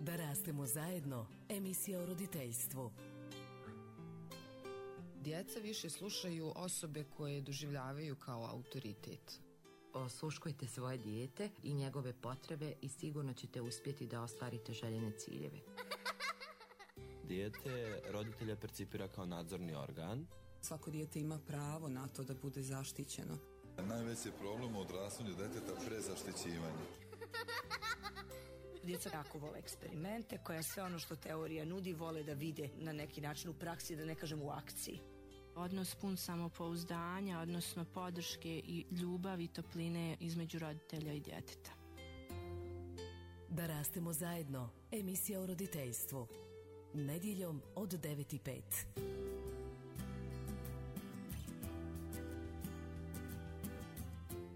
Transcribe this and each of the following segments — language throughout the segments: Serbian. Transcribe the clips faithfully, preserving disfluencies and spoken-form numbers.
Da rastemo zajedno, emisija o roditeljstvu. Djeca više slušaju osobe koje doživljavaju kao autoritet. Osluškujte svoje dijete i njegove potrebe i sigurno ćete uspjeti da ostvarite željene ciljeve. Dijete roditelja percipira kao nadzorni organ. Svako dijete ima pravo na to da bude zaštićeno. Najveći problem u odrastanju deteta prezaštićivanje. Djeca jako vole eksperimente, koja sve ono što teorija nudi vole da vide na neki način u praksi, da ne kažem u akciji. Odnos pun samopouzdanja, odnosno podrške i ljubavi i topline između roditelja i djeteta. Da rastemo zajedno, emisija o roditeljstvu. Nedjeljom od devet i pet.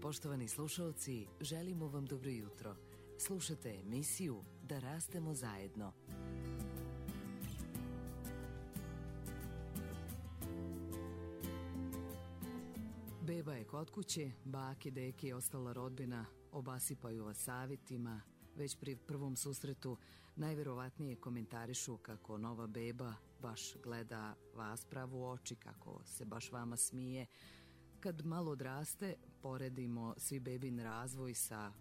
Poštovani slušalci, želimo vam dobro jutro. Slušate emisiju Da rastemo zajedno. Beba je kod kuće, bake, deke i ostala rodbina obasipaju vas savjetima. Već pri prvom susretu najverovatnije komentarišu kako nova beba baš gleda vas pravo u oči, kako se baš vama smije. Kad malo odraste, poredimo svi bebin razvoj sa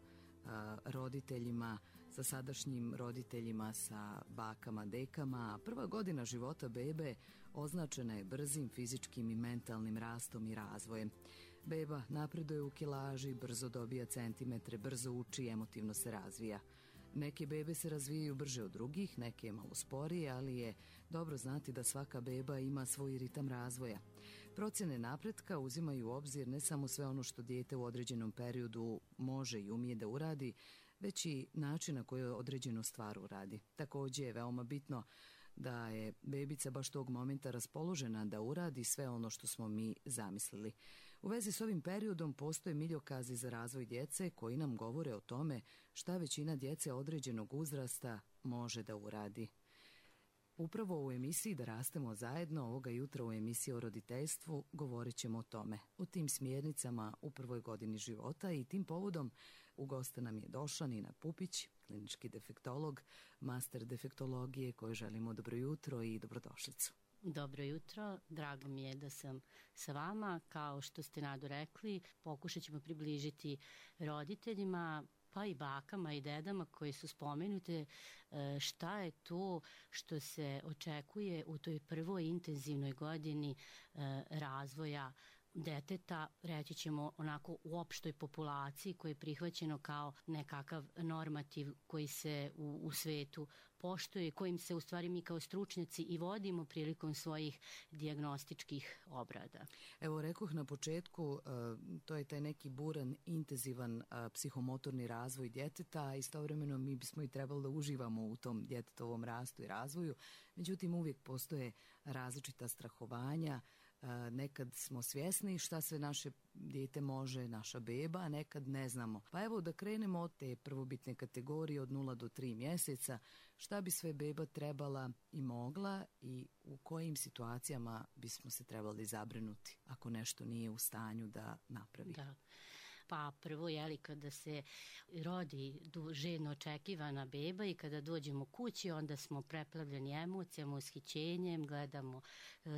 a, roditeljima, sa sadašnjim roditeljima, sa bakama, dekama. Prva godina života bebe označena je brzim fizičkim i mentalnim rastom i razvojem. Beba napreduje u kilaži, brzo dobija centimetre, brzo uči i emotivno se razvija. Neke bebe se razvijaju brže od drugih, neke malo sporije, ali je dobro znati da svaka beba ima svoj ritam razvoja. Procjene napretka uzimaju u obzir ne samo sve ono što dijete u određenom periodu može i umije da uradi, već i način na koji određenu stvar uradi. Također je veoma bitno da je bebica baš tog momenta raspoložena da uradi sve ono što smo mi zamislili. U vezi s ovim periodom postoje miljokazi za razvoj djece koji nam govore o tome šta većina djece određenog uzrasta može da uradi. Upravo u emisiji Da rastemo zajedno, ovoga jutra u emisiji o roditeljstvu, govorit ćemo o tome, o tim smjernicama u prvoj godini života i tim povodom u goste nam je došla Nina Pupić, klinički defektolog, master defektologije, kojoj želimo dobro jutro i dobrodošlicu. Dobro jutro, drago mi je da sam sa vama. Kao što ste Nado rekli, pokušat ćemo približiti roditeljima, pa i bakama i dedama koji su spomenute, šta je to što se očekuje u toj prvoj intenzivnoj godini razvoja deteta, reći ćemo onako u opštoj populaciji koji je prihvaćeno kao nekakav normativ koji se u, u svetu poštuje, kojim se u stvari mi kao stručnjaci i vodimo prilikom svojih dijagnostičkih obrada. Evo, rekoh na početku, to je taj neki buran, intenzivan psihomotorni razvoj djeteta, a istovremeno mi bismo i trebali da uživamo u tom djetetovom rastu i razvoju, međutim uvijek postoje različita strahovanja. Nekad smo svjesni šta sve naše dijete može, naša beba, a nekad ne znamo. Pa evo da krenemo od te prvobitne kategorije od nula do tri mjeseca, šta bi sve beba trebala i mogla i u kojim situacijama bismo se trebali zabrinuti ako nešto nije u stanju da napravi. Da. Pa prvo, jeli, kada se rodi željno očekivana beba i kada dođemo kući, onda smo preplavljeni emocijama, ushićenjem, gledamo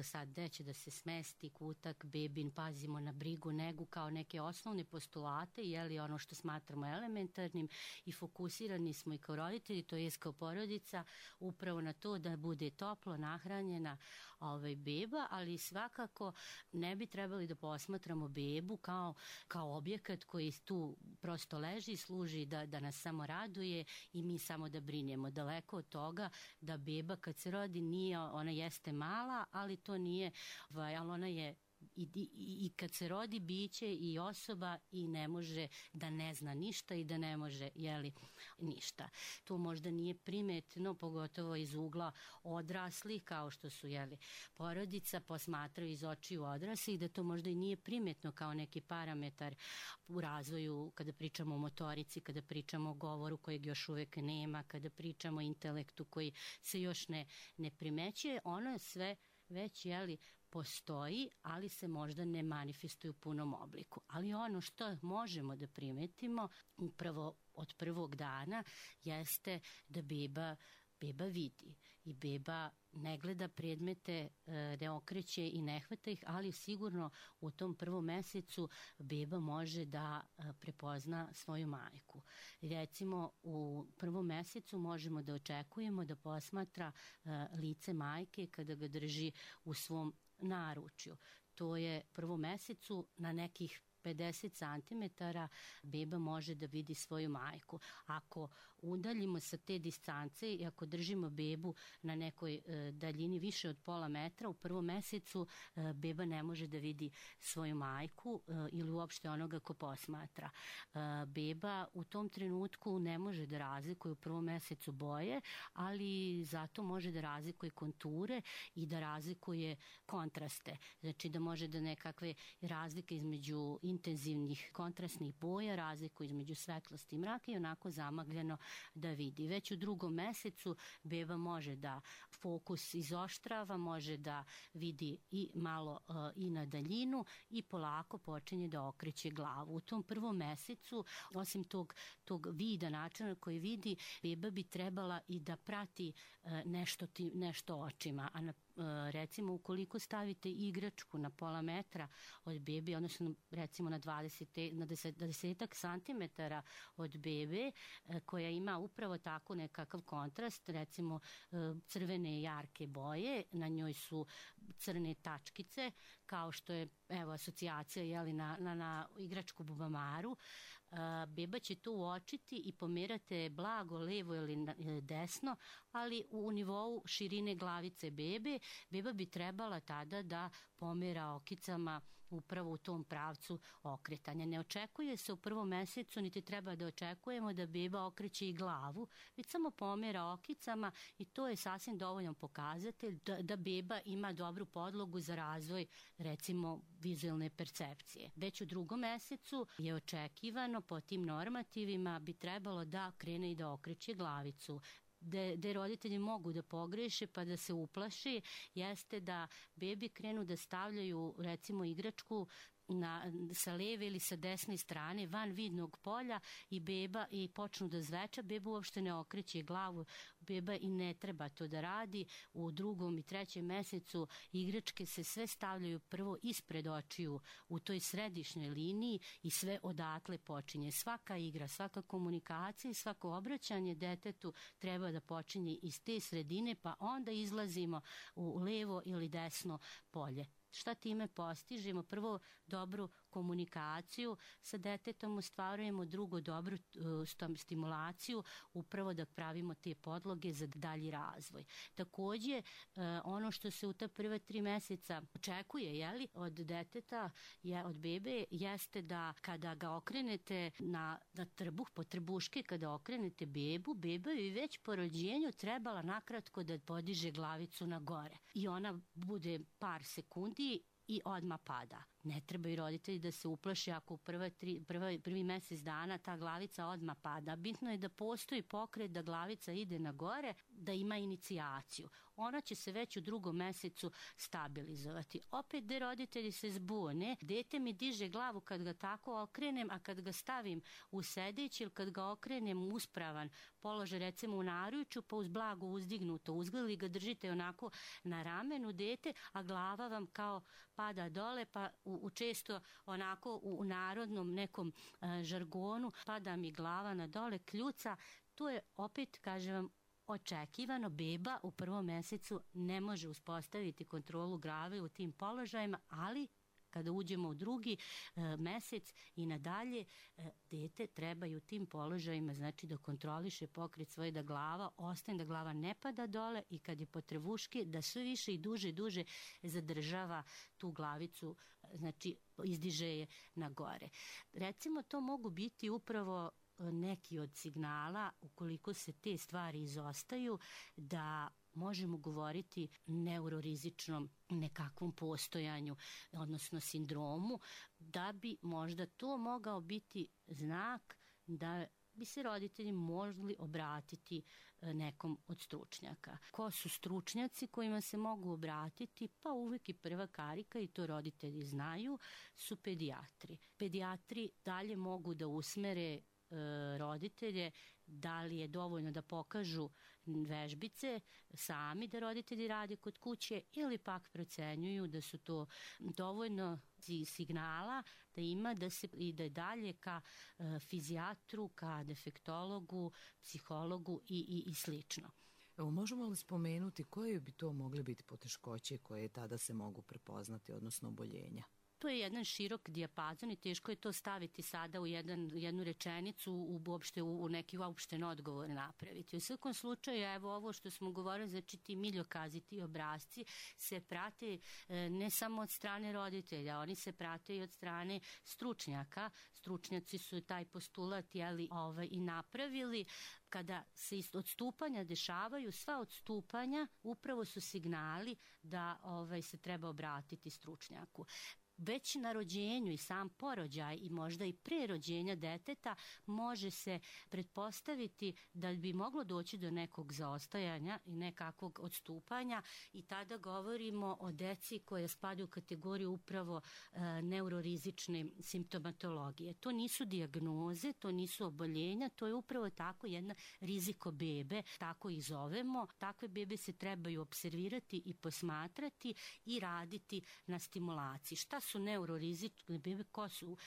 sad gde će da se smesti kutak bebin, pazimo na brigu, negu kao neke osnovne postulate, jeli, ono što smatramo elementarnim i fokusirani smo i kao roditelji, to je kao porodica, upravo na to da bude toplo nahranjena ovaj, beba, ali svakako ne bi trebali da posmatramo bebu kao, kao objekat koji tu prosto leži i služi da, da nas samo raduje i mi samo da brinjemo. Daleko od toga da beba kad se rodi nije, ona jeste mala, ali to nije, ali ona je I, i, i kad se rodi biće i osoba i ne može da ne zna ništa i da ne može, jeli, ništa. To možda nije primetno, pogotovo iz ugla odraslih, kao što su, jeli, porodica, posmatraju iz očiju odraslih, da to možda i nije primetno kao neki parametar u razvoju, kada pričamo o motorici, kada pričamo o govoru kojeg još uvek nema, kada pričamo o intelektu koji se još ne, ne primećuje, ono je sve već, jeli, postoji, ali se možda ne manifestuje u punom obliku. Ali ono što možemo da primetimo upravo od prvog dana jeste da beba beba vidi i beba ne gleda predmete, ne okreće i ne hvata ih, ali sigurno u tom prvom mesecu beba može da prepozna svoju majku. Recimo u prvom mesecu možemo da očekujemo da posmatra lice majke kada ga drži u svom naručju. To je u prvom mesecu na nekih pedeset centimetara beba može da vidi svoju majku. Ako udaljimo sa te distance i ako držimo bebu na nekoj e, daljini više od pola metra, u prvom mesecu e, beba ne može da vidi svoju majku e, ili uopšte onoga ko posmatra. E, beba u tom trenutku ne može da razlikuje u prvom mesecu boje, ali zato može da razlikuje konture i da razlikuje kontraste. Znači da može da nekakve razlike između intenzivnih kontrastnih boja, razliku između svetlosti i mraka i onako zamagljeno da vidi. Već u drugom mesecu beba može da fokus izoštrava, može da vidi i malo uh, i na daljinu i polako počinje da okreće glavu. U tom prvom mesecu, osim tog, tog vida, načina koji vidi, beba bi trebala i da prati uh, nešto, ti, nešto očima, a na recimo ukoliko stavite igračku na pola metra od bebe, odnosno recimo na dvadeset, na desetak santimetara od bebe koja ima upravo tako nekakav kontrast, recimo crvene jarke boje, na njoj su crne tačkice, kao što je evo asocijacija jeli, na, na, na igračku bubamaru, beba će to uočiti i pomerate blago levo ili desno, ali u nivou širine glavice bebe, beba bi trebala tada da pomera okicama upravo u tom pravcu okretanja. Ne očekuje se u prvom mesecu, niti treba da očekujemo da beba okreće i glavu, već samo pomera okicama i to je sasvim dovoljan pokazatelj da, da beba ima dobru podlogu za razvoj, recimo, vizualne percepcije. Već u drugom mesecu je očekivano po tim normativima bi trebalo da krene i da okreće glavicu. Da, da roditelji mogu da pogreše pa da se uplaši, jeste da bebi krenu da stavljaju recimo igračku na, sa leve ili sa desne strane van vidnog polja i beba i počnu da zveča, beba uopšte ne okreće glavu, beba i ne treba to da radi. U drugom i trećem mesecu igračke se sve stavljaju prvo ispred očiju u toj središnjoj liniji i sve odatle počinje. Svaka igra, svaka komunikacija i svako obraćanje detetu treba da počinje iz te sredine, pa onda izlazimo u levo ili desno polje. Šta time postižemo? Prvo, dobru komunikaciju sa detetom ostvarujemo, drugo, dobru uh, stimulaciju, upravo da pravimo te podloge za dalji razvoj. Takođe, uh, ono što se u ta prva tri meseca očekuje, jeli, od deteta, je, od bebe, jeste da kada ga okrenete na, na trbuh, po trbuške, kada okrenete bebu, beba je već po rođenju trebala nakratko da podiže glavicu na gore. I ona bude par sekundi i odmah pada. Ne trebaju roditelji da se uplaše ako u prva tri, prva, prvi mesec dana ta glavica odmah pada. Bitno je da postoji pokret da glavica ide na gore, da ima inicijaciju. Ona će se već u drugom mesecu stabilizovati. Opet gde roditelji se zbune, dete mi diže glavu kad ga tako okrenem, a kad ga stavim u sedeći ili kad ga okrenem u uspravan položaj, recimo u naručju, pa uz blago uzdignuto uzgled, ga držite onako na ramenu dete, a glava vam kao pada dole, pa u, u često onako u, u narodnom nekom a, žargonu pada mi glava na dole, kljuca. To je opet, kažem vam, očekivano. Beba u prvom mesecu ne može uspostaviti kontrolu glave u tim položajima, ali kada uđemo u drugi e, mesec i nadalje, e, dete treba i u tim položajima, znači da kontroliše pokret svoje, da glava ostane, da glava ne pada dole i kad je potrebuški, da sve više i duže i duže zadržava tu glavicu, znači izdiže je na gore. Recimo, to mogu biti upravo neki od signala, ukoliko se te stvari izostaju, da možemo govoriti neurorizičnom nekakvom postojanju, odnosno sindromu, da bi možda to mogao biti znak da bi se roditelji mogli obratiti nekom od stručnjaka. Ko su stručnjaci kojima se mogu obratiti? Pa uvijek i prva karika, i to roditelji znaju, su pedijatri. Pedijatri dalje mogu da usmere roditelje da li je dovoljno da pokažu vežbice sami da roditelji rade kod kuće ili pak procenjuju da su to dovoljno signala da ima da se ide dalje ka e, fizijatru, ka defektologu, psihologu i, i, i slično. Evo, možemo li spomenuti koje bi to mogle biti poteškoće koje tada se mogu prepoznati, odnosno oboljenja? To je jedan širok dijapazon i teško je to staviti sada u jedan, jednu rečenicu, u, uopšte, u, u neki uopšten odgovor napraviti. U svakom slučaju, evo ovo što smo govorili, znači ti miljokazi, ti obrazci se prate e, ne samo od strane roditelja, oni se prate i od strane stručnjaka. Stručnjaci su taj postulat jeli, ovaj, i napravili. Kada se odstupanja dešavaju, sva odstupanja upravo su signali da ovaj, se treba obratiti stručnjaku. Već na rođenju i sam porođaj i možda i pre rođenja deteta može se pretpostaviti da bi moglo doći do nekog zaostajanja i nekakvog odstupanja i tada govorimo o deci koja spadaju u kategoriju upravo e, neurorizične simptomatologije. To nisu dijagnoze, to nisu oboljenja, to je upravo tako jedna riziko bebe, tako ih zovemo. Takve bebe se trebaju observirati i posmatrati i raditi na stimulaciji. Šta su neurorizične bebe, ko su uh,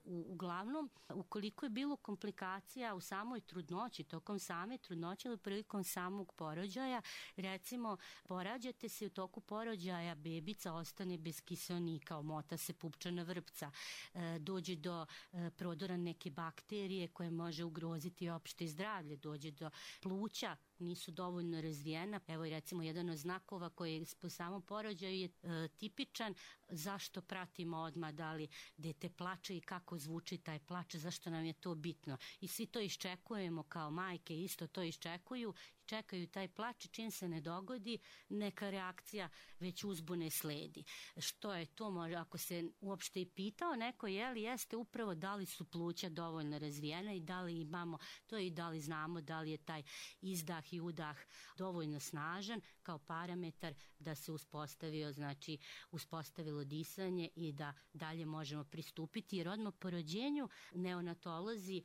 u, uglavnom ukoliko je bilo komplikacija u samoj trudnoći, tokom same trudnoće ili prilikom samog porođaja, recimo porađate se u toku porođaja, bebica ostane bez kiseonika, omota se pupčana vrpca, uh, dođe do uh, prodora neke bakterije koje može ugroziti opšte zdravlje, dođe do pluća, nisu dovoljno razvijena. Evo i recimo jedan od znakova koji je po samom porođaju je e, tipičan. Zašto pratimo odmah da li dete plače i kako zvuči taj plač, zašto nam je to bitno. I svi to iščekujemo kao majke, isto to iščekuju, čekaju taj plač i čim se ne dogodi, neka reakcija već uzbune sledi. Što je to, može, ako se uopšte i pitao neko, je li jeste upravo da li su pluća dovoljno razvijena i da li imamo to i da li znamo da li je taj izdah i udah dovoljno snažan kao parametar da se uspostavio, znači uspostavilo disanje i da dalje možemo pristupiti, jer odmah po rođenju neonatolozi,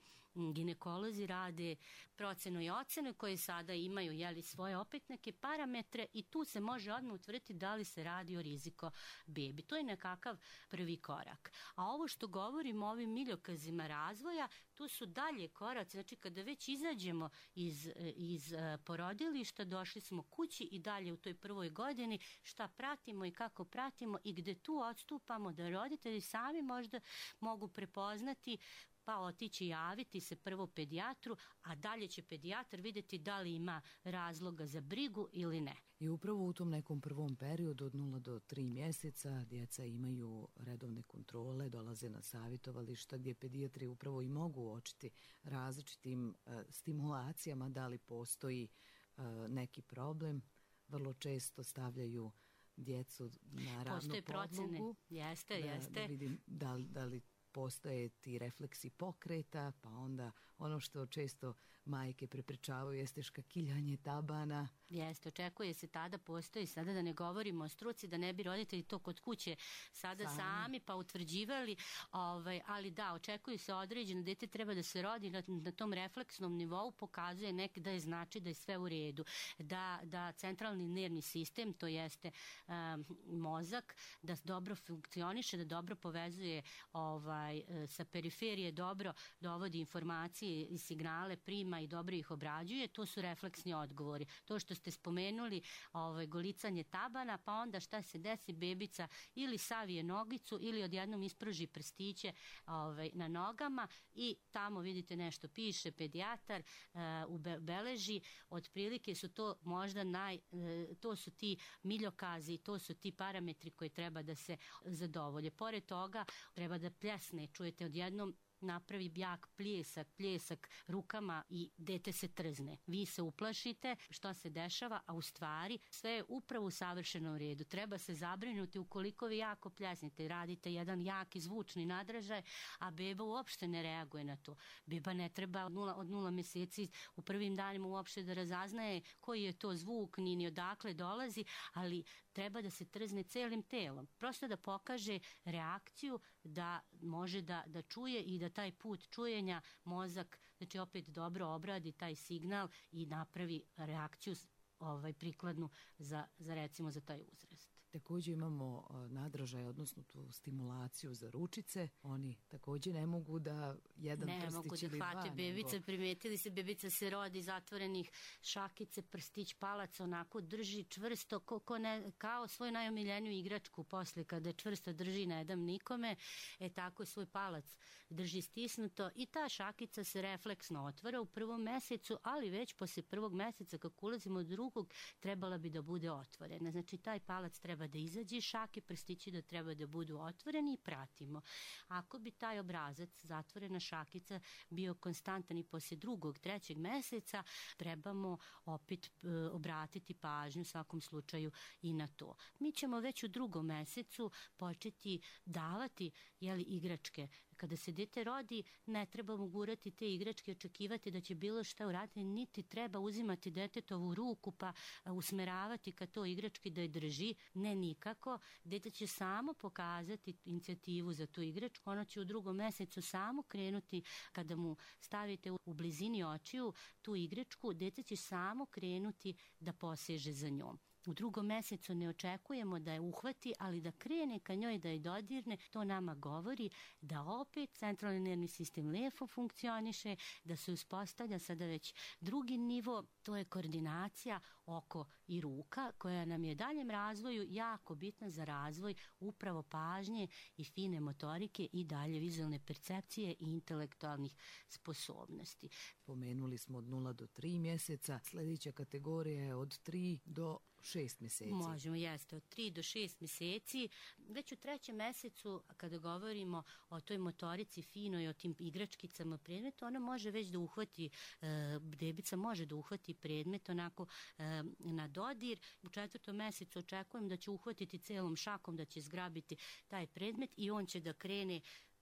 ginekolozi rade procenu i ocenu koje sada imaju jeli, svoje opet neke parametre i tu se može odmah utvrditi da li se radi o riziko bebi. To je nekakav prvi korak. A ovo što govorimo o ovim miljokazima razvoja, tu su dalje koraci, znači kada već izađemo iz, iz porodilišta, došli smo kući i dalje u toj prvoj godini, šta pratimo i kako pratimo i gde tu odstupamo da roditelji sami možda mogu prepoznati pa otići javiti se prvo pedijatru, a dalje će pedijatar vidjeti da li ima razloga za brigu ili ne. I upravo u tom nekom prvom periodu od nula do tri mjeseca djeca imaju redovne kontrole, dolaze na savjetovališta gdje pedijatri upravo i mogu uočiti različitim uh, stimulacijama da li postoji uh, neki problem. Vrlo često stavljaju djecu na ravnu Postoje podlogu. Procene. Jeste, da, jeste. Da vidim da li, da li postoje ti refleksi pokreta, pa onda ono što često majke preprečavaju jeste škakiljanje tabana. Jeste, očekuje se tada, postoji sada da ne govorimo o struci, da ne bi roditelji to kod kuće sada sami, sami pa utvrđivali, ovaj, ali da, očekuje se određeno, dete treba da se rodi na, na tom refleksnom nivou, pokazuje nek da je znači da je sve u redu, da, da centralni nervni sistem, to jeste um, mozak, da dobro funkcioniše, da dobro povezuje ovaj, sa periferije, dobro dovodi informacije i signale, prima i dobro ih obrađuje, to su refleksni odgovori. To što ste spomenuli, ovaj, golicanje tabana, pa onda šta se desi, bebica ili savije nogicu ili odjednom ispruži prstiće ovaj, na nogama i tamo vidite nešto piše pedijatar, uh, ubeleži, otprilike su to možda naj, uh, to su ti miljokazi, to su ti parametri koji treba da se zadovolje. Pored toga treba da pljesne, čujete odjednom napravi jak pljesak, pljesak rukama i dete se trzne. Vi se uplašite šta se dešava, a u stvari sve je upravo u savršenom redu. Treba se zabrinuti ukoliko vi jako pljesnite, radite jedan jaki zvučni nadražaj, a beba uopšte ne reaguje na to. Beba ne treba od nula, od nula mjeseci u prvim danima uopšte da razaznaje koji je to zvuk, ni, ni odakle dolazi, ali treba da se trzne celim telom. Prosto da pokaže reakciju, da može da, da čuje i da da taj put čujenja mozak, znači opet dobro obradi taj signal i napravi reakciju ovaj, prikladnu za, za recimo za taj uzrast. Također imamo nadražaj, odnosno tu stimulaciju za ručice. Oni također ne mogu da jedan ne prstić mogu da ili hvate dva. bebice, nego... primetili se, bebica se rodi zatvorenih šakice, prstić, palac, onako drži čvrsto, ko, ko ne, kao svoju najomiljeniju igračku posle kada čvrsto drži, ne dam nikome, e tako svoj palac drži stisnuto i ta šakica se refleksno otvara u prvom mesecu, ali već posle prvog meseca kako ulazimo od drugog trebala bi da bude otvorena. Znači taj palac treba da izađe iz šake, prstići da treba da budu otvoreni i pratimo. Ako bi taj obrazac, zatvorena šakica, bio konstantan i posle drugog, trećeg meseca, trebamo opet e, obratiti pažnju u svakom slučaju i na to. Mi ćemo već u drugom mesecu početi davati jeli, igračke. Kada se dete rodi, ne trebamo gurati te igračke, očekivati da će bilo šta uraditi, niti treba uzimati detetovu ruku pa usmeravati ka to igrački da je drži. Ne, nikako. Dete će samo pokazati inicijativu za tu igračku. Ono će u drugom mesecu samo krenuti kada mu stavite u blizini očiju tu igračku. Dete će samo krenuti da poseže za njom. U drugom mesecu ne očekujemo da je uhvati, ali da krene ka njoj, da je dodirne, to nama govori da opet centralni nervni sistem lepo funkcioniše, da se uspostavlja sada već drugi nivo, to je koordinacija oko i ruka, koja nam je daljem razvoju jako bitna za razvoj upravo pažnje i fine motorike i dalje vizualne percepcije i intelektualnih sposobnosti. Pomenuli smo od nula do tri mjeseca, sljedeća kategorija je od tri do šest mjeseci. Možemo, jeste, od tri do šest mjeseci. Već u trećem mesecu, kada govorimo o toj motorici finoj, o tim igračkicama predmeta, ona može već da uhvati, e, bebica može da uhvati predmet onako e, na dodir. U četvrtom mesecu očekujem da će uhvatiti celom šakom, da će zgrabiti taj predmet i on će da krene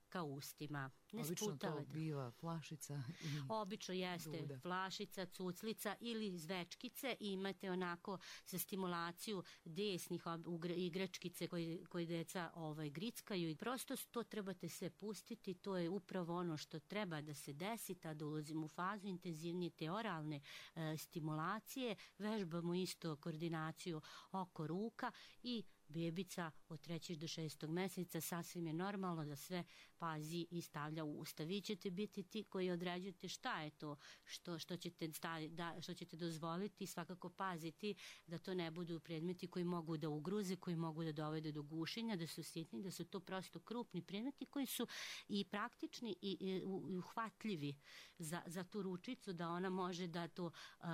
ka ustima. Ne Obično sputava. to biva flašica. I Obično jeste duda. flašica, cuclica ili zvečkice i imate onako za stimulaciju desnih igračkice koje, koje deca ovaj, grickaju i prosto to trebate sve pustiti. To je upravo ono što treba da se desi, tada ulazimo u fazu intenzivnije te oralne e, stimulacije, vežbamo isto koordinaciju oko ruka i bebica od trećeg do šestog meseca sasvim je normalno da sve pazi i stavlja u usta. Vi ćete biti ti koji određujete šta je to što, što, ćete, staviti, da, što ćete dozvoliti i svakako paziti da to ne budu predmeti koji mogu da ugruze, koji mogu da dovede do gušenja, da su sitni, da su to prosto krupni predmeti koji su i praktični i, i, i uhvatljivi za, za tu ručicu da ona može da to uh,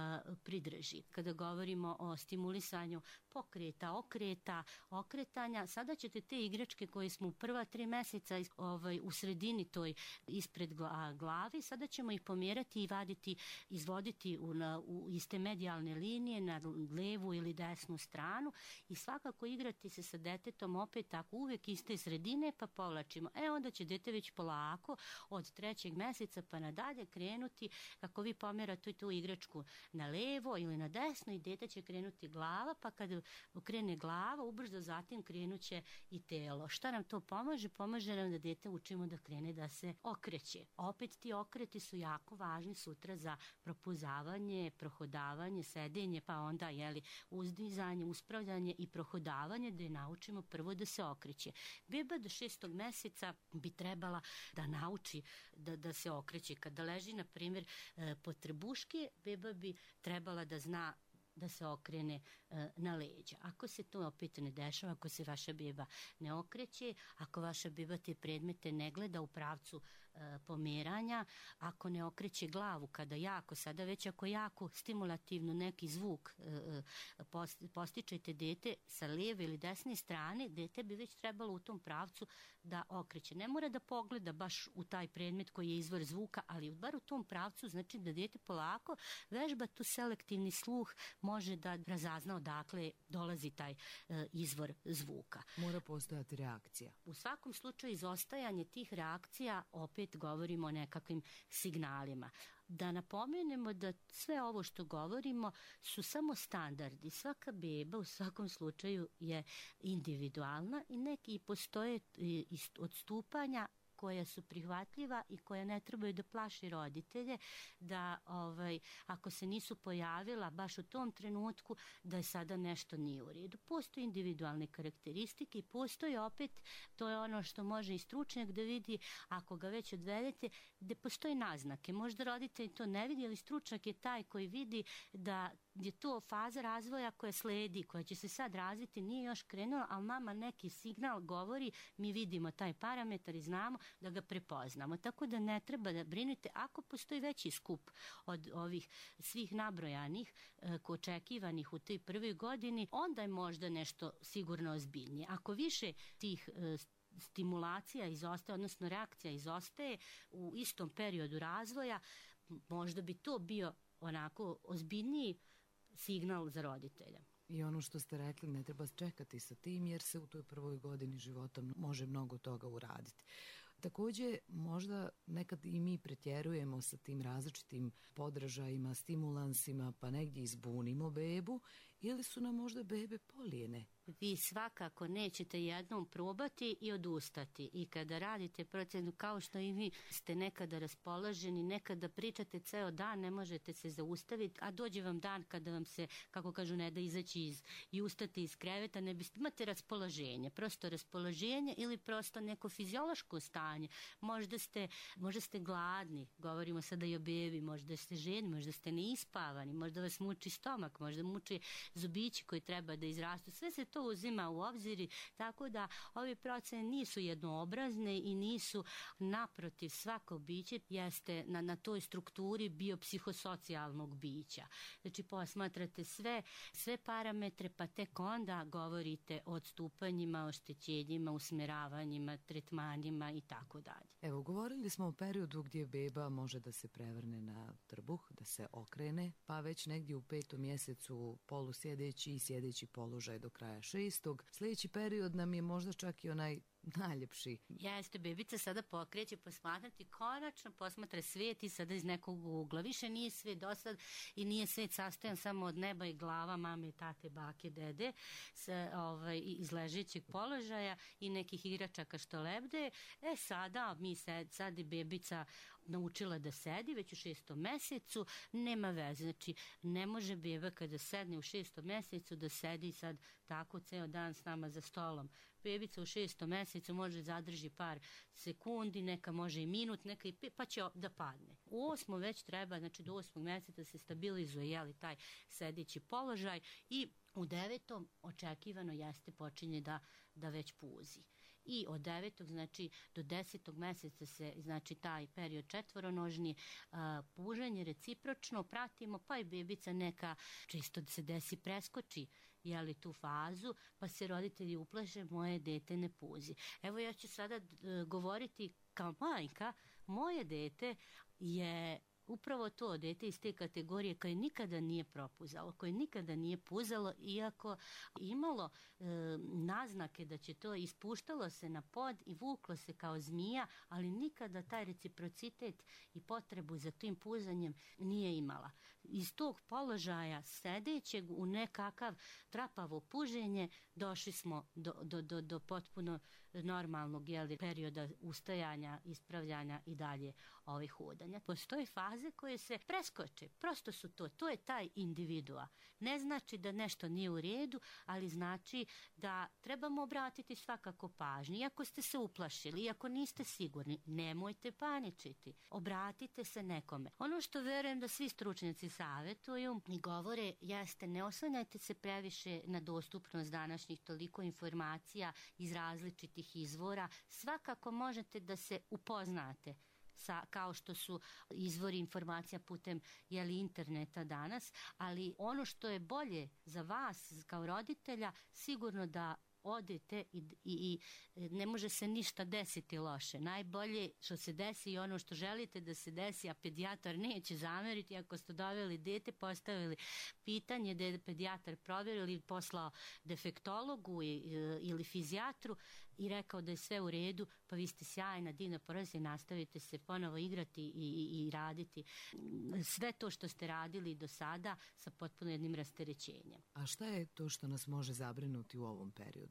pridrži. Kada govorimo o stimulisanju pokreta, okreta, okretanja, sada ćete te igračke koje smo u prva tri meseca ovaj, u sredini toj ispred glavi, sada ćemo ih pomjerati i vaditi, izvoditi u, na, u iste medijalne linije na levu ili desnu stranu i svakako igrati se sa detetom opet tako uvijek iste sredine pa povlačimo. E onda će dete već polako od trećeg meseca pa nadalje krenuti kako vi pomjerate tu igračku na levo ili na desno i dete će krenuti glava pa kada krene glava ubrzo zatim krenuće i telo. Šta nam to pomaže? Pomaže nam da dete učimo da krene da se okreće. Opet ti okreti su jako važni sutra za propuzavanje, prohodavanje, sedenje, pa onda jeli, uzdizanje, uspravljanje i prohodavanje da je naučimo prvo da se okreće. Beba do šestog meseca bi trebala da nauči da, da se okreće. Kada leži, na primjer, pod trebuške, beba bi trebala da zna da se okrene e, na leđa. Ako se to opet ne dešava, ako se vaša beba ne okreće, ako vaša beba te predmete ne gleda u pravcu e, pomeranja, ako ne okreće glavu, kada jako, sada već ako jako stimulativno neki zvuk e, post, postičete dete sa lijeve ili desne strane, dete bi već trebalo u tom pravcu da okreće. Ne mora da pogleda baš u taj predmet koji je izvor zvuka, ali bar u tom pravcu, znači da dete polako vežba tu selektivni sluh, može da razazna odakle dolazi taj e, izvor zvuka. Mora postojati reakcija. U svakom slučaju izostajanje tih reakcija, opet govorimo o nekakvim signalima. Da napomenemo da sve ovo što govorimo su samo standardi. Svaka beba u svakom slučaju je individualna i neki postoje odstupanja koja su prihvatljiva i koja ne trebaju da plaši roditelje, da ovaj, ako se nisu pojavila baš u tom trenutku, da je sada nešto nije u redu. Postoje individualne karakteristike i postoji opet, to je ono što može i stručnjak da vidi, ako ga već odvedete, gde postoje naznake. Možda roditelj to ne vidi, ali stručnjak je taj koji vidi da je to faza razvoja koja sledi, koja će se sad razviti, nije još krenula, ali nama neki signal govori, mi vidimo taj parametar i znamo da ga prepoznamo. Tako da ne treba da brinete ako postoji veći skup od ovih svih nabrojanih, e, očekivanih u toj prvoj godini, onda je možda nešto sigurno ozbiljnije. Ako više tih e, stimulacija izostaje, odnosno reakcija izostaje u istom periodu razvoja, možda bi to bio onako ozbiljniji signal za roditelja. I ono što ste rekli, ne treba čekati sa tim jer se u toj prvoj godini života može mnogo toga uraditi. Takođe, možda nekad i mi pretjerujemo sa tim različitim podražajima, stimulansima, pa negdje izbunimo bebu, ili su nam možda bebe polijene? Vi svakako nećete jednom probati i odustati. I kada radite procenu, kao što i vi ste nekada raspoloženi, nekada pričate ceo dan, ne možete se zaustaviti, a dođe vam dan kada vam se, kako kažu, ne da izaći iz, i ustati iz kreveta, ne biste, imate raspoloženje, prosto raspoloženje ili prosto neko fiziološko stanje. Možda ste, možda ste gladni, govorimo sada i o bebi, možda ste ženi, možda ste neispavani, možda vas muči stomak, možda muči zubići koji treba da izrastu. Sve se to uzima u obzir, tako da ove procene nisu jednoobrazne i nisu, naprotiv, svako biće jeste na, na toj strukturi biopsihosocijalnog bića. Znači posmatrate sve, sve parametre, pa tek onda govorite o odstupanjima, oštećenjima, usmeravanjima, tretmanima i tako dalje. Evo, govorili smo o periodu gdje beba može da se prevrne na trbuh, da se okrene, pa već negdje u petom mjesecu polusjedeći i sjedeći položaj do kraja šestog. Sljedeći period nam je možda čak i onaj najljepši. Jeste, bebica sada pokreće posmatrati, konačno posmatra svijet i sada iz nekog ugla. Više nije svijet dosad i nije svijet sastojan samo od neba i glava mame, tate, bake, dede sa, ovaj, iz ležećeg položaja i nekih igračaka što lebde. E sada mi sed, sad je bebica naučila da sedi već u šestom mesecu, nema veze. Znači, ne može beba kada sedne u šestom mesecu da sedi sad tako ceo dan s nama za stolom. Bebica u šestom mesecu može zadrži par sekundi, neka može i minut, neka i pet, pa će da padne. U osmom već treba, znači do osmog meseca se stabilizuje, jeli, taj sedeći položaj i u devetom očekivano jeste počinje da, da već puzi. I od devetog, znači do desetog meseca se, znači taj period četvoronožni, a, puženje recipročno pratimo, pa i bebica neka čisto da se desi preskoči, jeli, tu fazu, pa se roditelji uplaše, moje dete ne puzi. Evo ja ću sada d- govoriti kao majka, moje dete je upravo to dete iz te kategorije koje nikada nije propuzalo, koje nikada nije puzalo, iako imalo e, naznake da će to, ispuštalo se na pod i vuklo se kao zmija, ali nikada taj reciprocitet i potrebu za tim puzanjem nije imala. Iz tog položaja sedećeg u nekakav trapavo puženje došli smo do, do, do, do potpuno normalnog, jeli, perioda ustajanja, ispravljanja i dalje ovih hodanja. Postoje faze koje se preskoče, prosto su to, to je taj individua. Ne znači da nešto nije u redu, ali znači da trebamo obratiti svakako pažnju. Iako ste se uplašili, iako niste sigurni, nemojte paničiti. Obratite se nekome. Ono što verujem da svi stručnjaci savjetuju i govore jeste, ne oslanjajte se previše na dostupnost današnjih toliko informacija iz različitih izvora. Svakako možete da se upoznate sa, kao što su izvori informacija putem, jeli, interneta danas, ali ono što je bolje za vas kao roditelja, sigurno da odete i, i, i ne može se ništa desiti loše. Najbolje što se desi i ono što želite da se desi, a pedijatar neće zameriti ako ste doveli dete, postavili pitanje da je pedijatar provjerio ili poslao defektologu i, ili fizijatru i rekao da je sve u redu, pa vi ste sjajna, divna porodica i nastavite se ponovo igrati i, i, i raditi sve to što ste radili do sada sa potpuno jednim rasterećenjem. A šta je to što nas može zabrinuti u ovom periodu?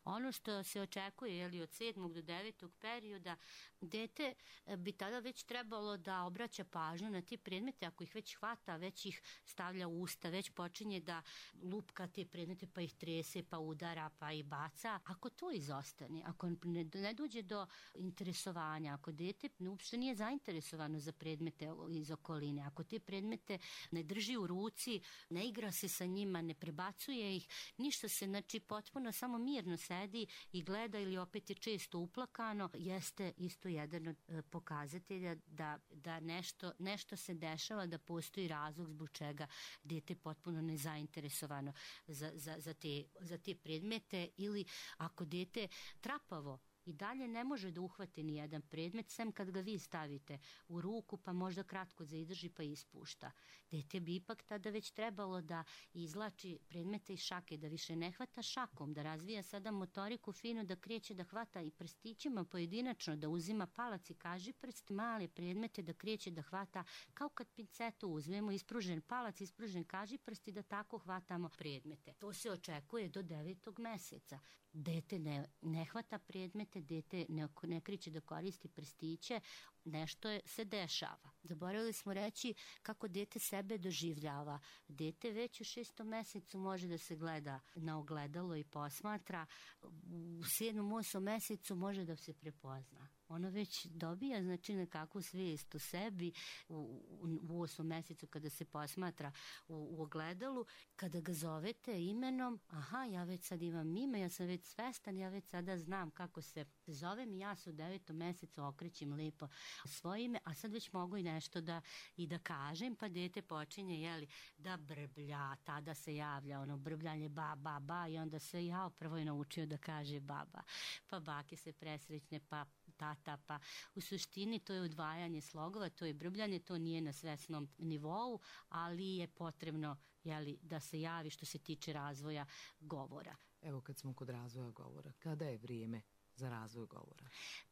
Ono što se očekuje, jeli, od sedmog do devetog perioda, dete bi tada već trebalo da obraća pažnju na te predmete, ako ih već hvata, već ih stavlja u usta, već počinje da lupka te predmete, pa ih trese, pa udara, pa ih baca. Ako to izostane, ako ne, ne dođe do interesovanja, ako dete uopšte nije zainteresovano za predmete iz okoline, ako te predmete ne drži u ruci, ne igra se sa njima, ne prebacuje ih, ništa se, znači potpuno samo mirno sedi i gleda ili opet je često uplakano, jeste isto jedan od pokazatelja da, da nešto, nešto se dešava, da postoji razlog zbog čega dete potpuno nezainteresovano za, za, za, te, za te predmete, ili ako dete trapavo i dalje ne može da uhvati ni jedan predmet, sem kad ga vi stavite u ruku, pa možda kratko zaidrži pa ispušta. Dete bi ipak tada već trebalo da izlači predmete iz šake, da više ne hvata šakom, da razvija sada motoriku finu, da kreće da hvata i prstićima pojedinačno, da uzima palac i kažiprst, male predmete, da kreće da hvata kao kad pincetu uzmemo, ispružen palac, ispružen kažiprst i da tako hvatamo predmete. To se očekuje do devetog meseca. Dete ne, ne hvata predmete, dete ne, ne kreće da koristi prstiće, nešto je, se dešava. Zaboravili smo reći kako dete sebe doživljava. Dete već u šestom mesecu može da se gleda na ogledalo i posmatra. U sedmom, osmom mesecu može da se prepozna. Ono već dobija, znači, nekakvu svijest o sebi u, u, u osmom mesecu kada se posmatra u, u ogledalu. Kada ga zovete imenom, aha, ja već sad imam ime, ja sam već svestan, ja već sada znam kako se zovem i ja se u devetom mesecu okrećem lepo svoje ime, a sad već mogu i nešto da, i da kažem, pa dete počinje, jeli, da brblja, tada se javlja ono brbljanje ba, ba, ba, i onda se ja prvo je naučio da kaže baba, pa bake se presrećne, pa tata, pa u suštini to je odvajanje slogova, to je brbljanje, to nije na svesnom nivou, ali je potrebno, jeli, da se javi što se tiče razvoja govora. Evo, kad smo kod razvoja govora, kada je vrijeme za razvoj govora?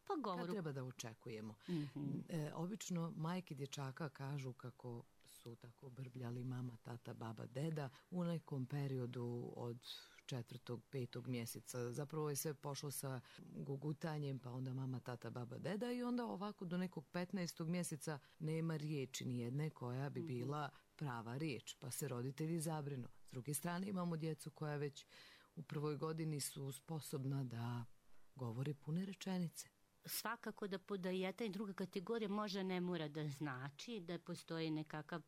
Pa govoru... Kad treba da očekujemo? Mm-hmm. E, obično majke dječaka kažu kako su tako brbljali mama, tata, baba, deda u nekom periodu od četvrtog, petog mjeseca. Zapravo je sve pošlo sa gugutanjem, pa onda mama, tata, baba, deda, i onda ovako do nekog petnaestog mjeseca nema riječi nijedne koja bi bila prava riječ, pa se roditelji zabrinu. S druge strane imamo djecu koja već u prvoj godini su sposobna da govore pune rečenice. Svakako da, da jedna i druga kategorija možda ne mora da znači da postoji nekakav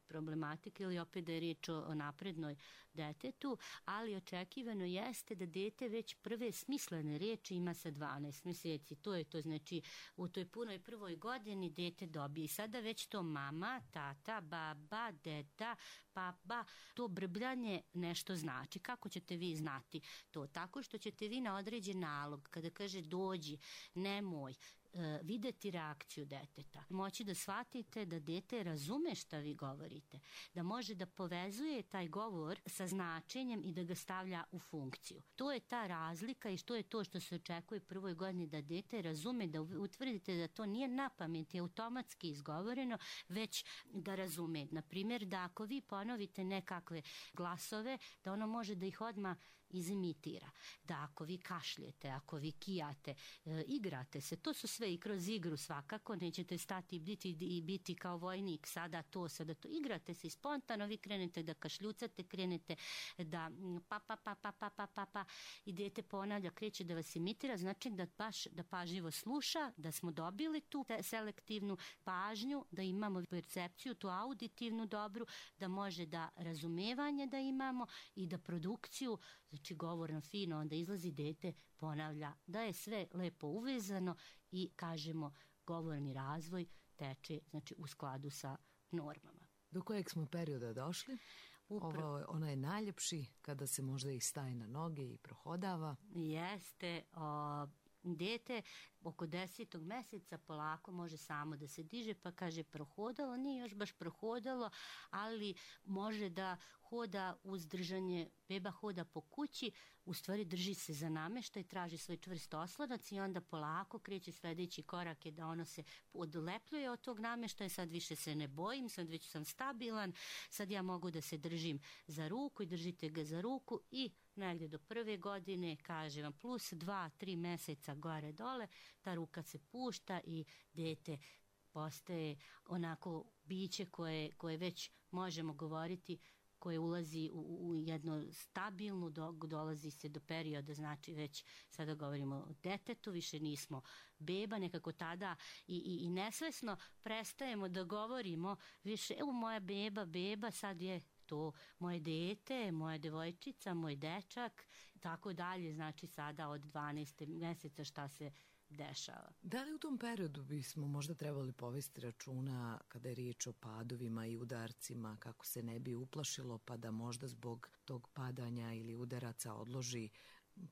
problematik ili opet da je riječ o, o naprednoj detetu, ali očekivano jeste da dete već prve smislene riječi ima sa dvanaest mjeseci. To je to, znači u toj punoj prvoj godini dete dobije i sada već to mama, tata, baba, deda, papa, to brbljanje nešto znači. Kako ćete vi znati to? Tako što ćete vi na određen nalog, kada kaže dođi, nemoj, e, videti reakciju deteta, moći da shvatite da dete razume šta vi govorite, da može da povezuje taj govor sa značenjem i da ga stavlja u funkciju. To je ta razlika i što je to što se očekuje prvoj godini, da dete razume, da utvrdite da to nije na pamet i automatski izgovoreno, već da razume. Na primjer, da ako vi ponovite nekakve glasove, da ono može da ih odmah izimitira. Da ako vi kašljete, ako vi kijate, e, igrate se, to su sve i kroz igru svakako, nećete stati i biti, i biti kao vojnik, sada to, sada to, igrate se i spontano vi krenete da kašljucate, krenete da pa pa pa pa pa pa pa pa i dete ponavlja, kreće da vas imitira, znači da baš da pažljivo sluša, da smo dobili tu selektivnu pažnju, da imamo percepciju, tu auditivnu dobru, da može da razumevanje da imamo i da produkciju, znači govorno fino, onda izlazi dete, ponavlja, da je sve lepo uvezano i kažemo govorni razvoj teče, znači u skladu sa normama. Do kojeg smo perioda došli? Upravo. Ovo, ona je najljepši kada se možda i staje na noge i prohodava. Jeste, o, dete oko desetog meseca polako može samo da se diže, pa kaže prohodalo, nije još baš prohodalo, ali može da hoda uz držanje, beba hoda po kući, u stvari drži se za nameštaj, traži svoj čvrst oslonac i onda polako kreće sledeći korak je da ono se odlepljuje od tog nameštaja, sad više se ne bojim, sad već sam stabilan, sad ja mogu da se držim za ruku i držite ga za ruku i negde do prve godine, kaže vam, plus dva, tri meseca gore dole, ta ruka se pušta i dete postaje onako biće koje, koje već možemo govoriti koje ulazi u, u jedno stabilnu, do, dolazi se do perioda, znači već sada govorimo o detetu, više nismo beba, nekako tada i, i, i nesvesno prestajemo da govorimo više, evo moja beba, beba, sad je to moje dete, moja devojčica, moj dečak, tako dalje, znači sada od dvanaestog meseca šta se dešava. Da li u tom periodu bismo možda trebali povesti računa kada je riječ o padovima i udarcima, kako se ne bi uplašilo pa da možda zbog tog padanja ili udaraca odloži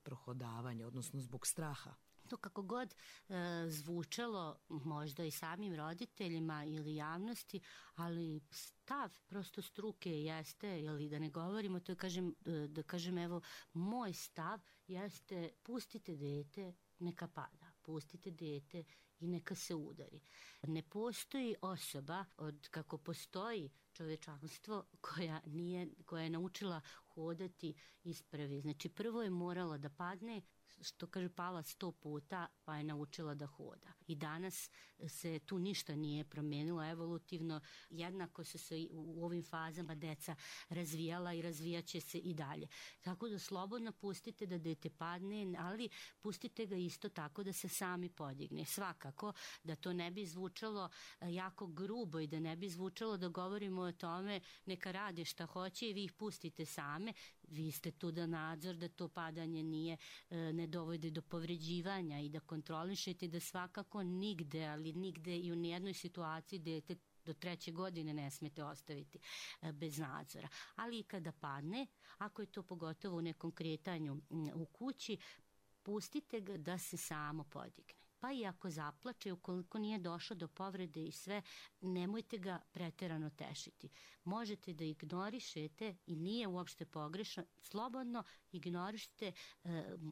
prohodavanje, odnosno zbog straha? To kako god e, zvučalo možda i samim roditeljima ili javnosti, ali stav prosto struke jeste, ili da ne govorimo, to je kažem, da kažem evo, moj stav jeste pustite dete neka pada, pustite dete i neka se udari. Ne postoji osoba od kako postoji čovečanstvo koja nije, koja je naučila hodati ispravi. Znači prvo je morala da padne, što kaže pala sto puta pa je naučila da hoda. I danas se tu ništa nije promenilo evolutivno, jednako su se u ovim fazama deca razvijala i razvijaće se i dalje. Tako da slobodno pustite da dete padne, ali pustite ga isto tako da se sami podigne. Svakako da to ne bi zvučalo jako grubo i da ne bi zvučalo da govorimo o tome neka rade šta hoće i vi ih pustite same. Vi ste tu da nadzor, da to padanje nije, ne dovodi do povređivanja i da kontrolišete da svakako nigde, ali nigde i u nijednoj situaciji dete do treće godine ne smete ostaviti bez nadzora. Ali i kada padne, ako je to pogotovo u nekom kretanju u kući, pustite ga da se samo podigne. Pa i ako zaplače, ukoliko nije došlo do povrede i sve, nemojte ga preterano tešiti. Možete da ignorišete i nije uopšte pogrešno, slobodno ignorišite,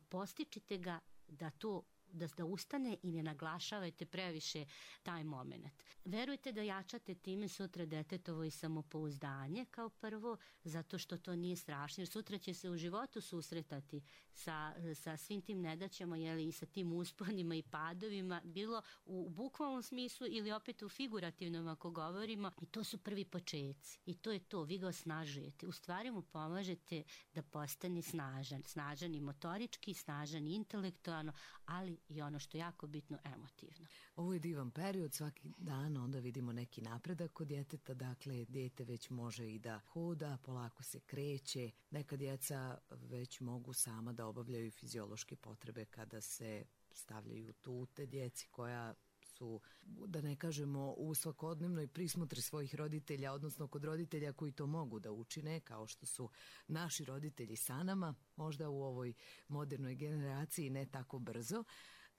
postičite ga da to da, da ustane i ne naglašavajte previše taj moment. Verujte da jačate time sutra detetovo i samopouzdanje kao prvo, zato što to nije strašno, jer sutra će se u životu susretati sa, sa svim tim nedaćama, jeli, i sa tim usponima i padovima, bilo u bukvalnom smislu ili opet u figurativnom ako govorimo, i to su prvi počeci. I to je to, vi ga osnažujete. U stvari mu pomažete da postane snažan. Snažan i motorički, snažan i intelektualno, ali i ono što je jako bitno, emotivno. Ovo je divan period, svaki dan onda vidimo neki napredak kod djeteta, dakle djete već može i da hoda, polako se kreće, neka djeca već mogu sama da obavljaju fiziološke potrebe kada se stavljaju tute djeci koja su, da ne kažemo, u svakodnevnoj prismotri svojih roditelja, odnosno kod roditelja koji to mogu da učine, kao što su naši roditelji sa nama, možda u ovoj modernoj generaciji ne tako brzo.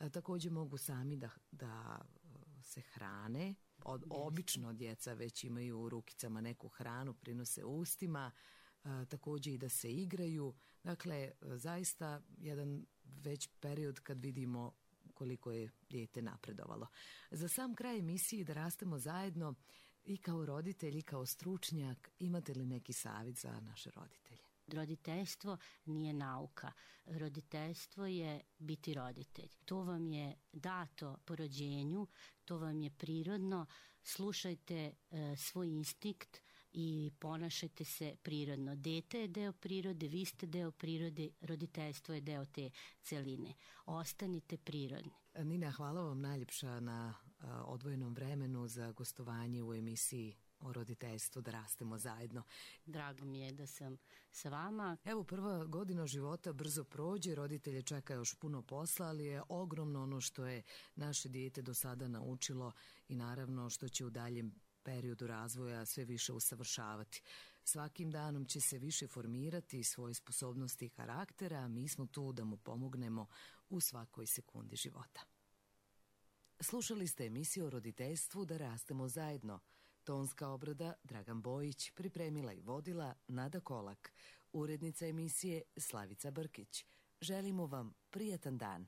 E, također mogu sami da, da se hrane. Od, obično djeca već imaju u rukicama neku hranu, prinose ustima, e, također i da se igraju. Dakle, zaista jedan već period kad vidimo koliko je dijete napredovalo. Za sam kraj emisije Da rastemo zajedno, i kao roditelj i kao stručnjak, imate li neki savjet za naše roditelje? Roditeljstvo nije nauka. Roditeljstvo je biti roditelj. To vam je dato po rođenju, to vam je prirodno. Slušajte e, svoj instinkt i ponašajte se prirodno. Dete je deo prirode, vi ste deo prirode, roditeljstvo je deo te celine. Ostanite prirodni. Nina, hvala vam najljepša na a, odvojenom vremenu za gostovanje u emisiji o roditeljstvu Da rastemo zajedno. Drago mi je da sam sa vama. Evo, prva godina života brzo prođe, roditelje čeka još puno posla, ali je ogromno ono što je naše dijete do sada naučilo i naravno što će u daljem periodu razvoja sve više usavršavati. Svakim danom će se više formirati svoje sposobnosti i karaktera, a mi smo tu da mu pomognemo u svakoj sekundi života. Slušali ste emisiju o roditeljstvu Da rastemo zajedno. Tonska obrada Dragan Bojić, pripremila i vodila Nada Kolak, urednica emisije Slavica Brkić. Želimo vam prijatan dan.